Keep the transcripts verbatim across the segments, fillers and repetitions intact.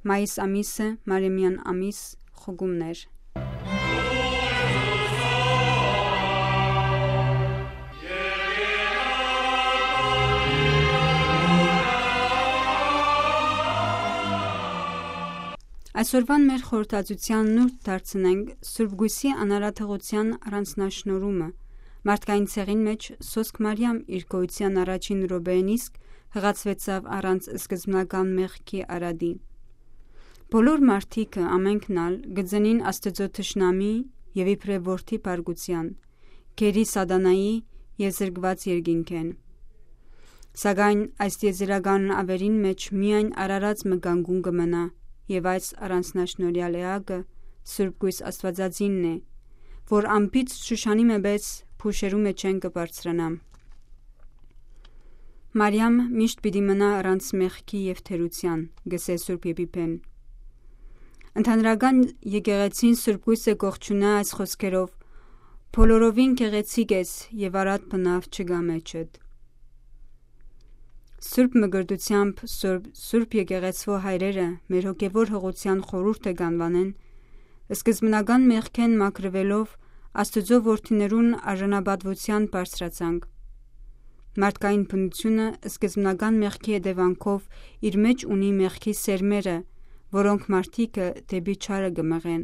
Մայիս ամիսը, Մարեմեան ամիս, խուգումներ։ Այսօրուան մեր խորհրդածութեան նուրբ դարձնենք Սուրբ Կոյսի անարատողութեան առանձնաշնորհումը։ Մարդկային ցեղին մէջ սոսկ Մարիամ իր գոյութեան առաջին րոպեին իսկ հղացուեցաւ առանց սկզբնական մեղքի արատի։ Բոլոր մարդիկը, ամենքն ալ, կը ծնին Աստուծոյ թշնամի եւ իբրեւ որդի բարկութեան, գերի Սատանայի եւ զրկուած երկինքէն։ Սակայն այս տիեզերական աւերին մէջ միայն արարած մը կանգուն կը մնայ, եւ այս առանձնաշնորհեալ էակը Սուրբ Կոյս Աստուածածինն է, որ անբիծ Շուշանի մը պէս փուշերու մէջէն կը բարձրանայ։ Մարիամ միշտ պիտի մնայ առանց մեղքի եւ թերութեան, կ'ըսէ Սուրբ Եփիփեն։ Ընդհանրական եկեղեցին Սուրբ Կոյսը կ'ողջունայ այս խօսքերով. «Բոլորովին գեղեցիկ ես եւ արատ բնաւ չկայ մէջդ»։ Սուրբ Մկրտութեամբ Սուրբ, Սուրբ Եկեղեցւոյ հայրերը մեր հոգեւոր հղութեան խորհուրդը կ'անուանեն, սկզբնական մեղքէն մաքրուելով Աստուծոյ որդիներուն արժանապատուութեան բարձրացանք։ Մարդկային բնութիւնը սկզբնական մեղքի հետեւանքով իր մէջ ունի մեղքի սերմերը, որոնք մարդիկը դէպի չարը կը մղեն,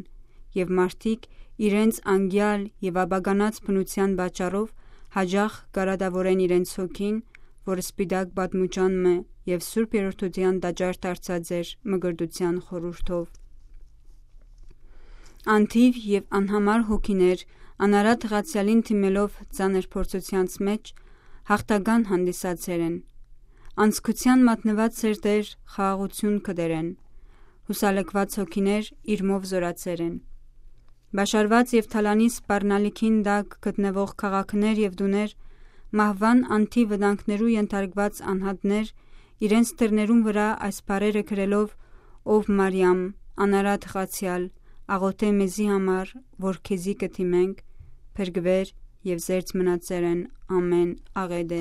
եւ մարդիկ իրենց անկեալ եւ ապականած բնութեան պատճառով յաճախ կ'արատաւորեն իրենց հոգին, որ սպիտակ պատմուճան մը եւ Սուրբ Երրորդութեան տաճար դարձած էր մկրտութեան խորհուրդով։ Անթիւ եւ անհամար հոգիներ անարատ ղացեալին դիմելով ծանր փորձութեանց մէջ յաղթական հանդիսացեր են։ Անձկութեան մատնուած սերտեր խաղաղութիւն կ'երթան, յուսալքուած հոգիներ իրմով զօրացեր են։ Պաշարուած եւ թալանի սպառնալիքին տակ գտնուող քաղաքներ եւ տուներ մահուան անթիւ վտանգներու ենթարկուած անհատներ իրենց դռներուն վրայ այս բառերը գրելով. «Ով Մարիամ, անարատ ղացեալ, աղօթէ մեզի համար, որ քեզի կը դիմենք», փրկուեր եւ զերծ մնացեր են ամէն աղէտէ։